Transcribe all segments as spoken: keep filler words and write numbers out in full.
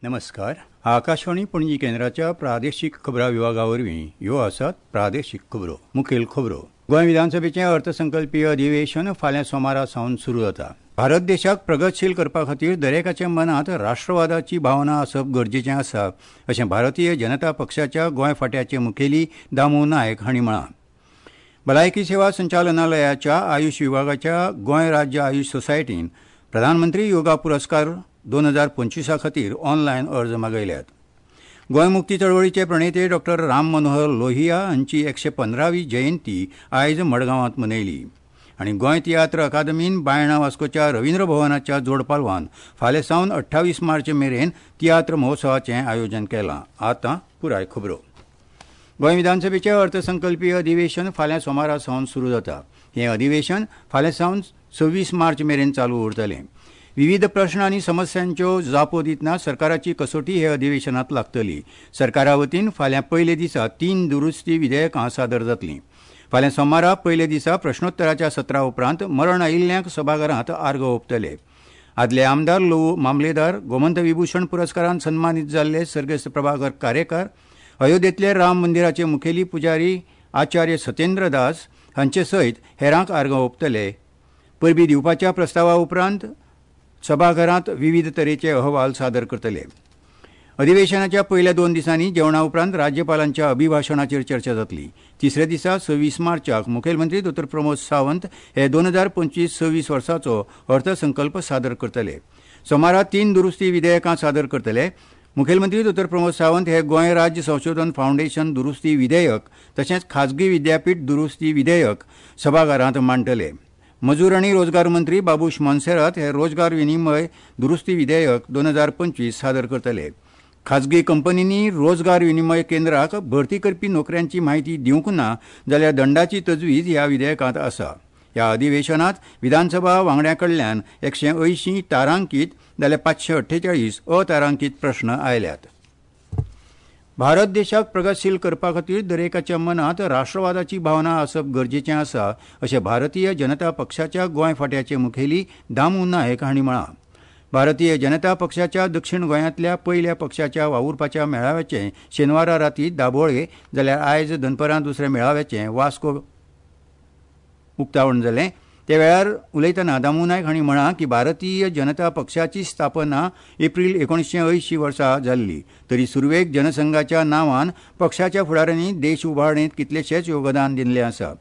नमस्कार. आकाशवाणी पणजी केंद्राच्या प्रादेशीक खबरां विभागा वरवीं ह्यो आसात प्रादेशीक खबरो. मुखेल खबरो. गोंय विधानसभेचें अर्थसंकल्पीय अधिवेशन फाल्यां सोमारा सावन सुरू जाता. भारत देशाक प्रगतशील करपा खातीर दरेकाच्या मनांत राष्ट्रवादाची भावना आसप गरजेचें आसा अशें भारतीय जनता पक्षाच्या गोंय फांट्याचे मुखेली दामू नायक हांणी म्हळां. भलायकी सेवा संचालनालयाच्या आयुष विभागाच्या गोंय राज्य आयुष सोसायटीन प्रधानमंत्री योगा पुरस्कार दोन हजार पंचवीसा खातीर ऑनलायन अर्ज मागयल्यात. गोंय मुक्ती चळवळीचे प्रणेते डॉक्टर राम मनोहर लोहिया हांची एकशे पंदरावी जयंती आयज मडगांवांत मनयली. आनी गोंय तियात्र अकादमीन बायणा वास्कोच्या रवींद्र भवनाच्या जोडपालवान फाल्यां सावन अठ्ठावीस मार्च मेरेन तियात्र महोत्सवाचें आयोजन केलां. आतां पुराय खबरो. गोंय विधानसभेचें अर्थसंकल्पीय अधिवेशन फाल्यां सोमारा सावन सुरू जाता. हें अधिवेशन फाल्यां सावन सव्वीस मार्च मेरेन चालू उरतलें. विविध प्रश्न आनी समस्यांच्यो जापो दितना सरकाराची कसोटी हे अधिवेशनांत लागतली. सरकारा वतीन फाल्यां पयले दिसा तीन दुरुस्ती विधेयकां सादर जातलीं. फाल्यां सोमारा पयले दिसा प्रश्नोत्तराच्या सत्रा उपरांत मरण आयिल्ल्यांक सभाघरांत आर्गां ओंपतले. आदले आमदार लवू मामलेदार, गोमंत विभूषण पुरस्कारान सन्मानीत जाल्ले सर्गेस्त प्रभाकर कारेकार, अयोध्येंतले राम मंदिराचे मुखेली पुजारी आचार्य सत्येंद्र दास हांचे सयत हेरांक आर्गां ओंपतले. परबी दिवपाच्या प्रस्तावा उपरांत सभाघरांत विविध तरेचे अहवाल सादर करतले. अधिवेशनाच्या पयल्या दोन दिसांनी जेवणा उपरांत राज्यपालांच्या अभिभाशणाचेर चर्चा जातली. तिसऱ्या दिसा सव्वीस मार्चाक मुखेलमंत्री दोतोर प्रमोद सावंत हे दोन हजार पंचवीस सव्वीस वर्साचो अर्थसंकल्प सादर करतले. सोमारा तीन दुरुस्ती विधेयकां सादर करतले. मुखेलमंत्री दोतोर प्रमोद सावंत हे गोंय राज्य संशोधन फावंडेशन दुरुस्ती विधेयक तशेंच खाजगी विद्यापीठ दुरुस्ती विधेयक सभाघरांत मांडटले. मजूर आनी रोजगार मंत्री बाबूश मोन्सेरात हे रोजगार विनिमय दुरुस्ती विधेयक दोन हजार पंचवीस सादर करतले. खाजगी कंपनींनी रोजगार विनिमय केंद्राक भरती करपी नोकऱ्यांची म्हायती दिवंक ना जाल्यार दंडाची तजवीज ह्या विधेयकांत आसा. ह्या अधिवेशनांत विधानसभा वांगड्यां कडल्यान एकशे अंयशीं तारांकीत जाल्यार पांचशे अठ्ठेचाळीस अतारांकीत प्रश्न आयल्यात. भारत देशाक प्रगतशील करपा खातीर दरेकाच्या मनांत राष्ट्रवादाची भावना आसप गरजेचें आसा अशें भारतीय जनता पक्षाच्या गोंय फांट्याचे मुखेली दामू नायक हांणी म्हळां. भारतीय जनता पक्षाच्या दक्षिण गोंयांतल्या पयल्या पक्षाच्या वावुरपाच्या मेळाव्याचें शेनवारा राती दाबोळे जाल्यार आयज दनपरां दुसऱ्या मेळाव्याचें वास्को उक्तावण जालें. त्या वेळार उलयतना दामू नायक हांणी म्हळां की भारतीय जनता पक्षाची स्थापना एप्रील एकोणीशे अंयशीं वर्सा जाल्ली तरी सुरवेक जनसंघाच्या नांवान पक्षाच्या फुडाऱ्यांनी देश उबारणेंत कितलेशेच योगदान दिल्लें आसा.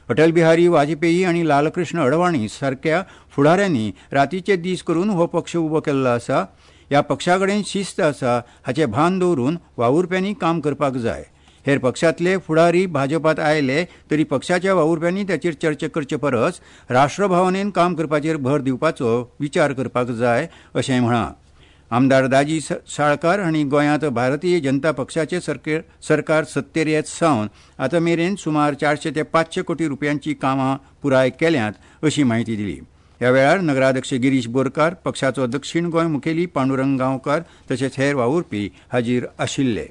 अटल बिहारी वाजपेयी आनी लालकृष्ण अडवाणी सारक्या फुडाऱ्यांनी रातीचे दीस करून हो पक्ष उबो केल्लो आसा. ह्या पक्षा कडेन शिस्त आसा हाचें भान दवरून वावुरप्यांनी काम करपाक जाय. हेर पक्षांतले फुडारी भाजपात आयले तरी पक्षाच्या वावुरप्यांनी ताचेर चर्चा करचे परस राष्ट्रभावनेन काम करपाचेर भर दिवपाचो विचार करपाक जाय अशें म्हळां. आमदार दाजी साळकार हांणी गोंयांत भारतीय जनता पक्षाचे सरकार सत्तेर येत सावन आतां मेरेन सुमार चारशे ते पांचशे कोटी रुपयांची कामां पुराय केल्यांत अशी म्हायती दिली. ह्या वेळार नगराध्यक्ष गिरीश बोरकार, पक्षाचो दक्षिण गोंय मुखेली पांडुरंग गांवकार तशेंच हेर वावुरपी हाजीर आशिल्ले.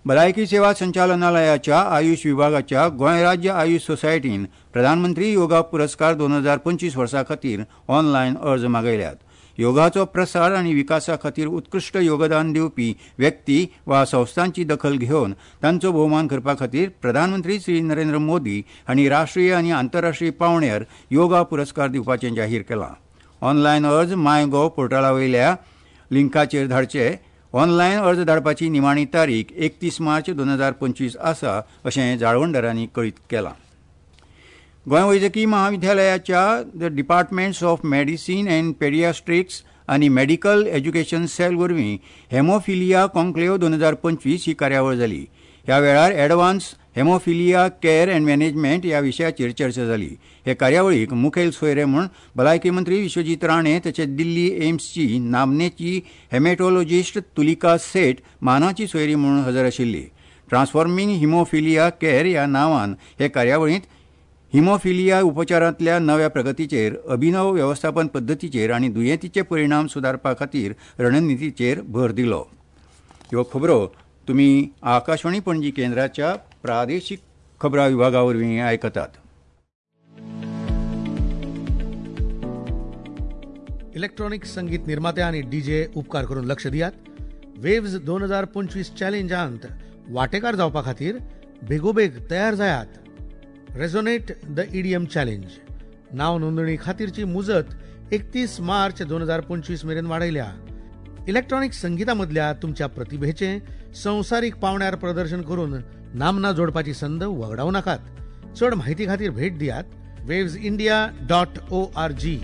भलायकी सेवा संचालनालयाच्या आयुष विभागाच्या गोंय राज्य आयुष सोसायटीन प्रधानमंत्री योगा पुरस्कार दोन हजार पंचवीस वर्सा खातीर ऑनलायन अर्ज मागयल्यात. योगाचो प्रसार आनी विकासा खातीर उत्कृश्ट योगदान दिवपी व्यक्ती वा संस्थांची दखल घेवन तांचो भोवमान करपा खातीर प्रधानमंत्री श्री नरेंद्र मोदी हांणी राष्ट्रीय आनी आंतरराष्ट्रीय पांवड्यार योगा पुरस्कार दिवपाचें जाहीर केलां. ऑनलायन अर्ज माय गॉव पोर्टला वयल्या लिंकाचेर धाडचे. ऑनलायन अर्ज धाडपाची निमाणी तारीख एकतीस मार्च दोन हजार पंचवीस आसा अशें जाळवणदारांनी कळीत केलां. गोंय वैजकी महाविद्यालयाच्या the departments of medicine and paediatrics आनी मेडिकल एज्युकेशन सेल वरवीं हेमोफिलिया कॉन्क्लेव्ह दोन हजार पंचवीस ही कार्यावळ जाली. ह्या वेळार advance haemophilia care and management ह्या विशयाचेर चर्चा जाली. हे कार्यावळीक मुखेल सोयरे म्हूण भलायकी मंत्री विश्वजीत राणे तशेंच दिल्ली एम्सची नामनेची हेमेटोलॉजिस्ट तुलिका सेठ मानाची सोयरी म्हूण हजर आशिल्ली. ट्रान्सफॉर्मिंग हिमोफिलिया केअर ह्या नांवान हे कार्यावळींत हिमोफिलिया उपचारांतल्या नव्या प्रगतीचेर, अभिनव वेवस्थापन पद्दतीचेर आनी दुयेंतीचे परिणाम सुदारपा खातीर रणनितीचेर भर दिलो. ह्यो खबरो तुमी आकाशवाणी पणजी केंद्राच्या प्रादेशीक खबरां विभागा वरवीं आयकतात. इलेक्ट्रॉनिक संगीत निर्माते आणि डीजे उपकार करून लक्ष दियात. वेव्ज दोन हजार पंचवीस चॅलेंजांत वांटेकार जावपा खातीर बेगोबेग तयार जायात. Resonate the E D M challenge नाव नोंदणी खातीरची मुजत एकतीस मार्च दोन हजार पंचवीस मेरेन वाडयल्या. इलेक्ट्रॉनिक संगीता मदल्या तुमच्या प्रतिभेचें संवसारीक पावंड्यार प्रदर्शन करून नामना जोडपाची संद वगडावं नाकात. चड म्हायती खातीर भेट दियात waves India dot O R G.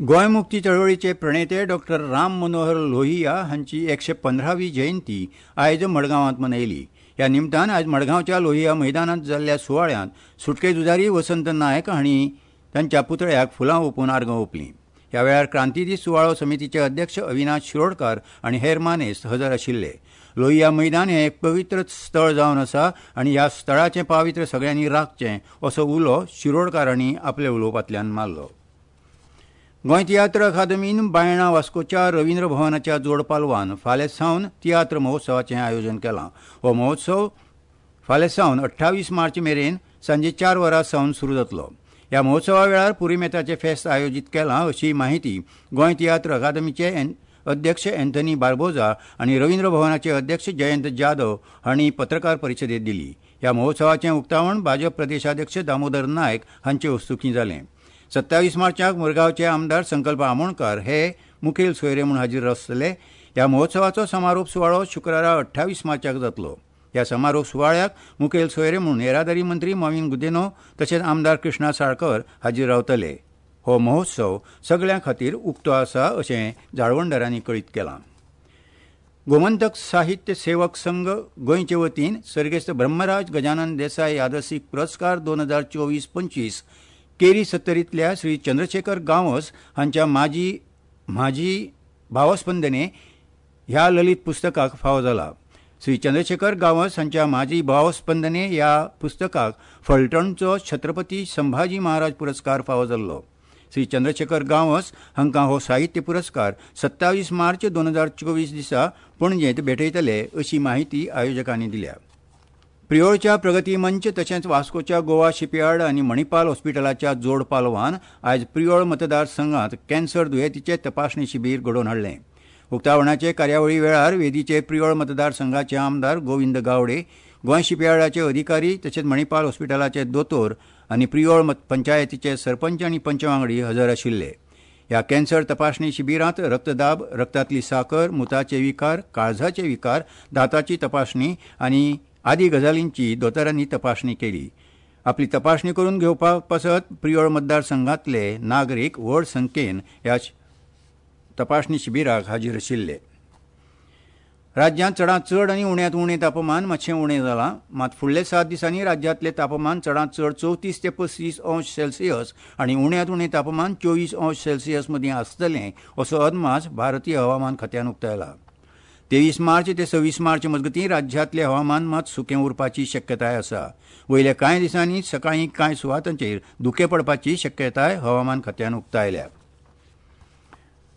Goa मुक्ती चळवळीचे प्रणेते डॉक्टर राम मनोहर लोहिया हांची एकशे पंदरावी जयंती आयज मडगांवांत मनयली. ह्या निमतान आयज मडगांवच्या लोहिया मैदानांत जाल्ल्या सुवाळ्यांत सुटके झुजारी वसंत नायक हांणी तांच्या पुतळ्याक फुलां ओंपून आर्गां ओंपलीं. ह्या वेळार क्रांतीदीस सुवाळो समितीचे अध्यक्ष अविनाश शिरोडकार आनी हेर मानेस्त हजर आशिल्ले. लोहिया मैदान हें एक पवित्र स्थळ जावन आसा आनी ह्या स्थळाचें पावित्र्य सगळ्यांनी राखचें असो उलो शिरोडकार हांणी आपल्या उलोवपांतल्यान मारलो. गोंय तियात्र अकादमीन बायणा वास्कोच्या रवींद्र भवनाच्या जोडपालवान फाल्यां सावन तियात्र महोत्सवाचें आयोजन केलां. हो महोत्सव फाल्यां सावन अठ्ठावीस मार्च मेरेन सांजे चार वरां सावन सुरू जातलो. ह्या महोत्सवा वेळार पुरीमेताचें फेस्त आयोजीत केलां अशी माहिती गोंय तियात्र अकादमीचे अध्यक्ष अँथनी बार्बोजा आनी रवींद्र भवनाचे अध्यक्ष जयंत जाधव हांणी पत्रकार परिशदेंत दिली. ह्या महोत्सवाचें उक्तावण भाजप प्रदेशाध्यक्ष दामोदर नायक हांचे हस्तुकीं जालें. सत्तावीस मार्चाक मुरगांवचे आमदार संकल्प आमोणकार हे मुखेल सोयरे म्हूण हाजीर आसतले. ह्या महोत्सवाचो समारोप सुवाळो शुक्रारा अठ्ठावीस मार्चाक जातलो. ह्या समारोप सुवाळ्याक मुखेल सोयरे म्हूण येरादारी मंत्री मॉवीन गुदिन्हो तशेंच आमदार कृष्णा साळकर हाजीर रावतले. हो महोत्सव सगळ्यां खातीर उक्तो आसा अशें जाळवणदारांनी कळीत केलां. गोमंतक साहित्य सेवक संघ गोंयचे वतीन सर्गेस्त ब्रह्मराज गजानन देसाय यादस्तीक पुरस्कार दोन हजार चोवीस पंचवीस केरी सत्तरींतल्या श्री चंद्रशेखर गांवस हांच्या माजी म्हाजी भावस्पंदने ह्या ललित पुस्तकाक फावो जाला. श्री चंद्रशेखर गांवस हांच्या म्हाजी भावस्पंदने ह्या पुस्तकाक फलटणचो छत्रपती संभाजी महाराज पुरस्कार फावो जाल्लो. श्री चंद्रशेखर गांवस हांकां हो साहित्य पुरस्कार सत्तावीस मार्च दोन हजार चोवीस दिसा पणजेंत भेटयतले अशी माहिती आयोजकांनी दिल्या. प्रियोळच्या प्रगती मंच तशेंच वास्कोच्या गोवा शिपयार्ड आनी मणिपाल हॉस्पिटलाच्या जोड पालवान आयज प्रियोळ मतदारसंघात कॅन्सर दुयेंतीचें तपासणी शिबीर घडोवन हाडलें. उक्तावणाचे कार्यावळी वेळार वेदीचे प्रियोळ मतदारसंघाचे आमदार गोविंद गावडे, गोंय शिपयार्डाचे अधिकारी तशेंच मणिपाल हॉस्पिटलाचे दोतोर आनी प्रियोळ पंचायतीचे सरपंच आनी पंच वांगडी हजर आशिल्ले. ह्या कॅन्सर तपासणी शिबिरांत रक्तदाब, रक्तांतली साकर, मुताचे विकार, काळजाचे विकार, दांताची तपासणी आनी आदी गजालींची दोतोरांनी तपासणी केली. आपली तपासणी करून घेवपा पासत प्रियोळ मतदारसंघांतले नागरीक व्हड संख्येन ह्या तपासणी शिबिराक हाजीर आशिल्ले. राज्यांत चडांत चड आनी उण्यांत उणें तापमान मातशें उणें जालां. मात फुडले सात दिसांनी राज्यांतलें तापमान चडांत चड चवतीस ते पस्तीस अंश सेल्सियस आनी उण्यांत उणें तापमान चोवीस अंश सेल्सियस मदीं आसतलें असो अदमास भारतीय हवामान खात्यान उक्तायला. तेवीस मार्च ते सव्वीस मार्च मजगतीं राज्यांतलें हवामान मात सुकें उरपाची शक्यताय आसा. वयल्या कांय दिसांनी सकाळीं कांय सुवातांचेर धुकें पडपाची शक्यताय हवामान खात्यान उक्तायल्या.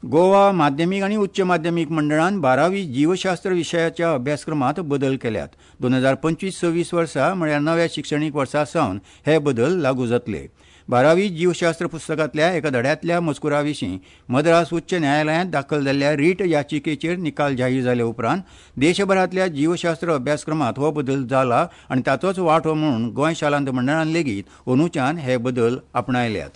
गोवा माध्यमीक आनी उच्च माध्यमीक मंडळान बारावी जीवशास्त्र विशयाच्या अभ्यासक्रमांत बदल केल्यात. दोन हजार पंचवीस सव्वीस वर्सा म्हळ्यार नव्या शिक्षणीक वर्सा सावन हे बदल लागू जातले. बारावी जीवशास्त्र पुस्तकांतल्या एका धड्यांतल्या मजकुरा विशीं मद्रास उच्च न्यायालयांत दाखल जाल्ल्या रीट याचिकेचेर निकाल जाहीर जाले उपरांत देशभरांतल्या जीवशास्त्र अभ्यासक्रमांत हो बदल जाला आनी ताचोच वांटो म्हूण गोंय शालांत मंडळान लेगीत अंदूच्यान हे बदल आपणायल्यात.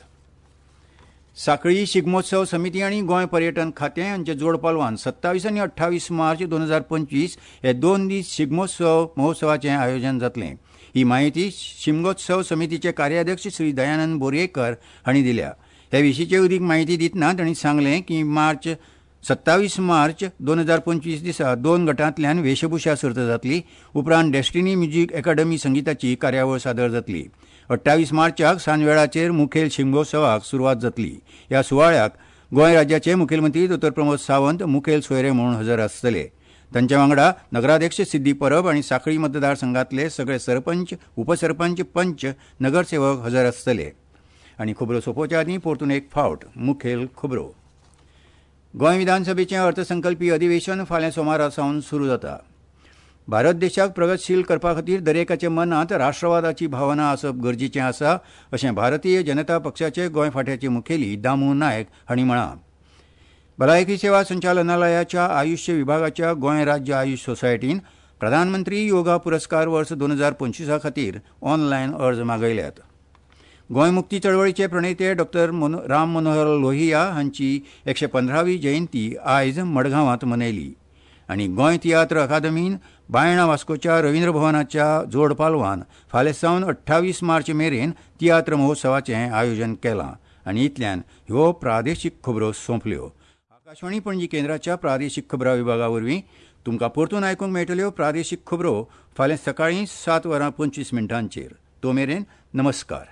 साखळी शिगमोत्सव समिती आनी गोंय पर्यटन खातें हांच्या जोडपालवान सत्तावीस आनी अठ्ठावीस मार्च दोन हजार पंचवीस हे दोन दीस शिगमोत्सव महोत्सवाचें आयोजन जातलें. ही माहिती शिमगोत्सव समितीचे कार्याध्यक्ष श्री दयानंद बोरयेकर हांणी दिल्या. हे विशींची अदीक माहिती दितना तांणी सांगलें की मार्च सत्तावीस मार्च दोन हजार पंचवीस दिसा दोन गटांतल्यान वेशभूषा सर्त जातली. उपरांत डेस्टिनी म्युझिक अकादमी संगीताची कार्यावळ सादर जातली. अठ्ठावीस मार्चाक सांजवेळाचेर मुखेल शिमगोत्सवाक सुरवात जातली. ह्या सुवाळ्याक गोंय राज्याचे मुखेलमंत्री दोतोर प्रमोद सावंत मुखेल सोयरे म्हूण हजर आसतले. तांच्या वांगडा नगराध्यक्ष सिद्धी परब आनी साखळी मतदारसंघातले सगळे सरपंच, उपसरपंच, पंच, नगरसेवक हजर आसतले. आनी खबरो सोंपोवच्या आदीं परतून एक फावट मुखेल खबरो. गोंय विधानसभेचें अर्थसंकल्पी अधिवेशन फाल्यां सोमारा सावन सुरू जाता. भारत देशाक प्रगतशील करपा खातीर दरेकाच्या मनांत राष्ट्रवादाची भावना आसप गरजेचें आसा अशें भारतीय जनता पक्षाचे गोंय फांट्याचे मुखेली दामू नायक हांणी म्हळां. भलायकी सेवा संचालनालयाच्या आयुष्य विभागाच्या गोंय राज्य आयुष सोसायटीन प्रधानमंत्री योगा पुरस्कार वर्स दोन हजार पंचवीसा खातीर ऑनलायन अर्ज मागयल्यात. गोंय मुक्ती चळवळीचे प्रणेते डॉक्टर राम मनोहर लोहिया हांची एकशे पंदरावी जयंती आयज मडगांवांत मनयली. आनी गोंय तियात्र अकादमीन बायणा वास्कोच्या रवींद्र भवनाच्या जोड पालवान फाल्यां सावन अठ्ठावीस मार्च मेरेन तियात्र महोत्सवाचें आयोजन केलां. आनी इतल्यान ह्यो प्रादेशीक खबरो सोंपल्यो. आकाशवाणी पणजी केंद्राच्या प्रादेशीक खबरां विभागा वरवीं तुमकां परतून आयकूंक मेळटल्यो प्रादेशीक खबरो फाल्यां सकाळीं सात वरां पंचवीस मिनटांचेर. तो मेरेन नमस्कार.